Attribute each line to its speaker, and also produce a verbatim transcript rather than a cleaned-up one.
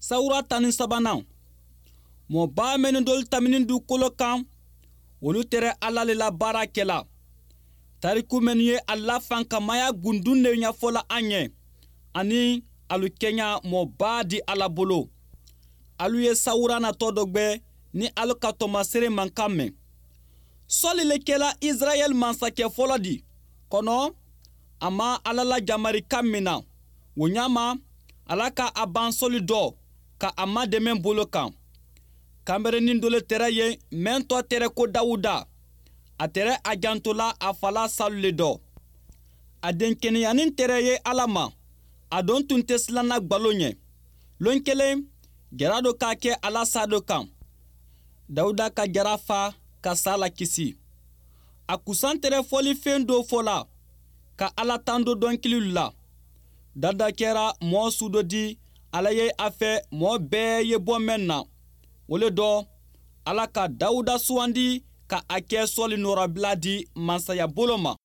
Speaker 1: Sawura tan ni sabanan, mɔba minnu dolu tamini dugukolo kan, olu tɛrɛ Ala le la baara kɛla. Tariku minnu ye a la fankamaya gundun de ɲɛfɔla an ɲɛ, ani alu kɛɲa mɔba di Ala bolo. Alu ye sawura natɔ dɔ gbɛ ni alu ka tɔmasere mankan mɛn. Sɔli le kɛla Israɛl mansakɛ fɔlɔ di kɔnɔ, a ma Ala la jamarikan min na o ɲama, Ala ka a ban sɔli dɔ ka a madɛmɛ bolo kan. Kanberenin dɔ le tɛrɛ yen mɛn tɔ tɛrɛ ko Dawuda. A tɛrɛ a jantola a fala Salu le dɔ. A denkɛnɛyanin tɛrɛ ye Ala ma, a don tun tɛ silanna gbalo ɲɛ. Lon kelen, jara dɔ k'a kɛ ala sa dɔ kan. Dawuda ka jara fa ka sa la kisi. A kusan tɛrɛ fɔlifɛn dɔ fɔ la ka Ala tando dɔnkiliw la. Dawuda kɛra mɔɔ su dɔ di Ala ye a fɛ mɔɔ bɛɛ ye bɔ mɛn na. O le dɔ, Ala ka Dawuda sugandi ka a kɛ Sɔli nɔrɔbila di mansaya bolo ma.